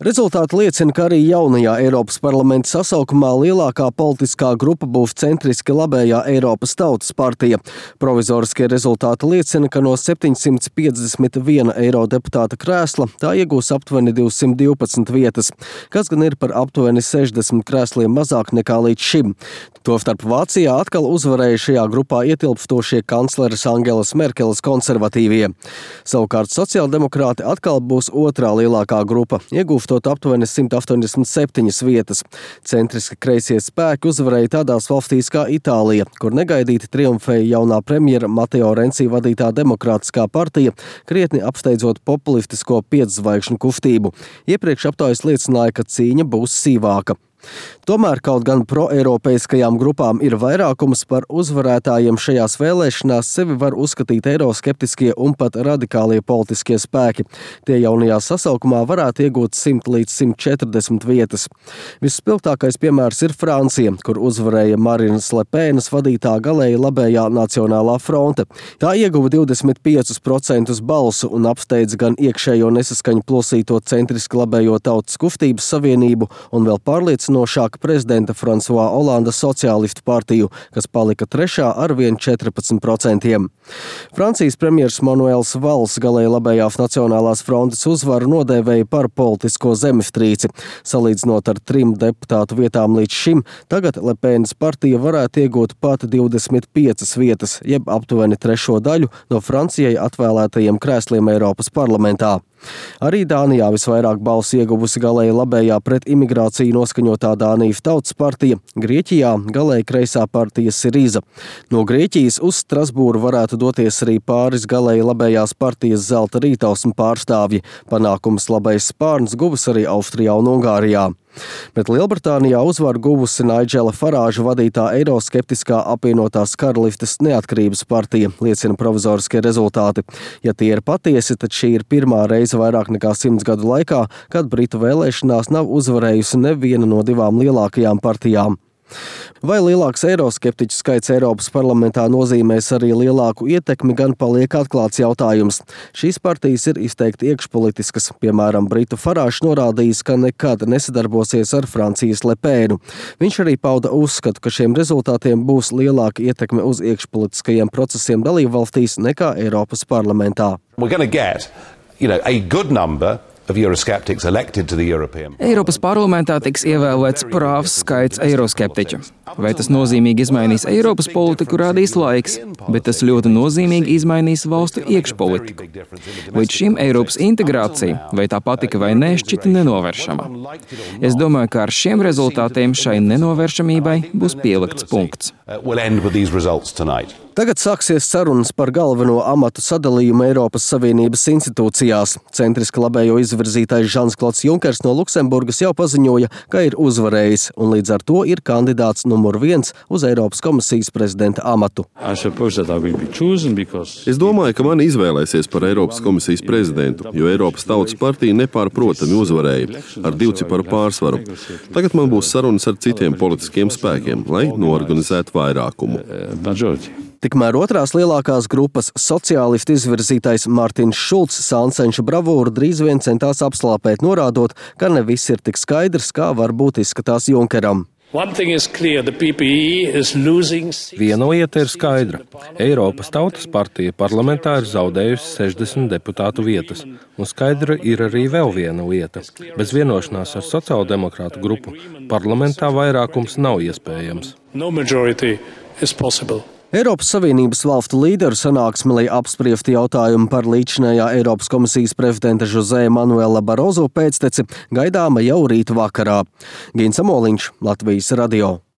Rezultāti liecina, ka arī jaunajā Eiropas parlamenta sasaukumā lielākā politiskā grupa būs centriski labējā Eiropas Tautas partija. Provizoriskie rezultāti liecina, ka no 751 eurodeputāta krēsla tā iegūs aptuveni 212 vietas, kas gan ir par aptuveni 60 krēsliem mazāk nekā līdz šim. Tostarp Vācijā atkal uzvarēja šajā grupā ietilpstošie kancleres Angelas Merkeles konservatīvie. Savukārt sociāldemokrāti atkal būs otrā lielākā grupa, iegūstot aptuveni 187 vietas. Centriski kreisie spēki uzvarēja tādās valstīs kā Itālija, kur negaidīti triumfēja jaunā premjera Mateo Renci vadītā demokrātiskā partija, krietni apsteidzot populistisko 5 zvaigžņu kustību. Iepriekš aptaujas liecināja, ka cīņa būs sīvāka. Tomēr kaut gan proeiropeiskajām grupām ir vairākums, par uzvarētājiem šajās vēlēšanās sevi var uzskatīt eiroskeptiskie un pat radikālie politiskie spēki. Tie jaunajā sasaukumā varētu iegūt 100 līdz 140 vietas. Visspilgtākais piemērs ir Francija, kur uzvarēja Marinas Le Penas vadītā galēji labējā Nacionālā fronte. Tā ieguva 25% balsu un apsteidz gan iekšējo nesaskaņu plosīto centriski labējo Tautas kustības savienību un vēl pārliecinošāk prezidenta François Hollanda sociālistu partiju, kas palika trešā ar vien 14%. Francijas premjers Manuels Valls galēji labējās Nacionālās frontes uzvaru nodēvēja par politisko zemestrīci. Salīdzinot ar 3 deputātu vietām līdz šim, tagad Le Penas partija varētu iegūt pat 25 vietas, jeb aptuveni trešo daļu no Francijai atvēlētajiem krēsliem Eiropas parlamentā. Arī Dānijā visvairāk balsu ieguvusi galēji labējā pret imigrāciju noskaņotā Dānijas Tautas partija, Grieķijā galēji kreisā partija Siriza. No Grieķijas uz Strasbūru varētu doties arī pāris galēji labējās partijas Zelta rītausmu pārstāvji. Panākums labais spārns guvis arī Austrijā un Ungārijā. Bet Lielbritānijā uzvaru guvusi Naidžela Farāža vadītā eiroskeptiskā apvienotās karalistes neatkarības partija, liecina provizoriskie rezultāti. Ja tie ir patiesi, tad šī ir pirmā reize vairāk nekā 100 gadu laikā, kad Britu vēlēšanās nav uzvarējusi neviena no 2 lielākajām partijām. Vai lielāks eiroskeptiķu skaits Eiropas parlamentā nozīmēs arī lielāku ietekmi, gan paliek atklāts jautājums. Šīs partijas ir izteikti iekšpolitiskas. Piemēram, Britu Farāžs norādījis, ka nekad nesadarbosies ar Francijas Le Penu. Viņš arī pauda uzskatu, ka šiem rezultātiem būs lielāka ietekme uz iekšpolitiskajiem procesiem dalībvalstīs nekā Eiropas parlamentā. Eiropas parlamentā tiks ievēlēts prāvs skaits eiroskeptiķu. Vai tas nozīmīgi izmainīs Eiropas politiku, rādīs laiks, bet tas ļoti nozīmīgi izmainīs valstu iekšpolitiku. Līdz šim Eiropas integrācija, vai tā patika vai nē, šķita nenovēršama. Es domāju, ka ar šiem rezultātiem šai nenovēršamībai būs pielikts punkts. Tagad sāksies sarunas par galveno amatu sadalījumu Eiropas Savienības institūcijās. Centriski labējo izvirzītais Žans-Klods Junkers no Luksemburgas jau paziņoja, ka ir uzvarējis, un līdz ar to ir kandidāts numur 1 uz Eiropas komisijas prezidenta amatu. Es domāju, ka mani izvēlēsies par Eiropas komisijas prezidentu, jo Eiropas Tautas partija nepārprotami uzvarēja ar 2 ciparu pārsvaru. Tagad man būs sarunas ar citiem politiskiem spēkiem, lai noorganizētu vairākumu. Tikmēr otrās lielākās grupas sociālistu izvirzītais Mārtiņš Šulcs Sansenša bravūru drīz vien centās apslāpēt, norādot, ka ne viss ir tik skaidrs, kā varbūt izskatās Junkeram. Viena lieta ir skaidra. Eiropas Tautas partija parlamentā ir zaudējusi 60 deputātu vietas, un skaidra ir arī vēl viena lieta. Bez vienošanās ar sociāldemokrātu grupu parlamentā vairākums nav iespējams. Eiropas Savienības valstu līderu sanāksme, lai apspriestu jautājumu par līdzinājā Eiropas komisijas prezidenta José Manuela Barozo pēcteci, gaidāma jau rīt vakarā. Gins Amoliņš, Latvijas radio.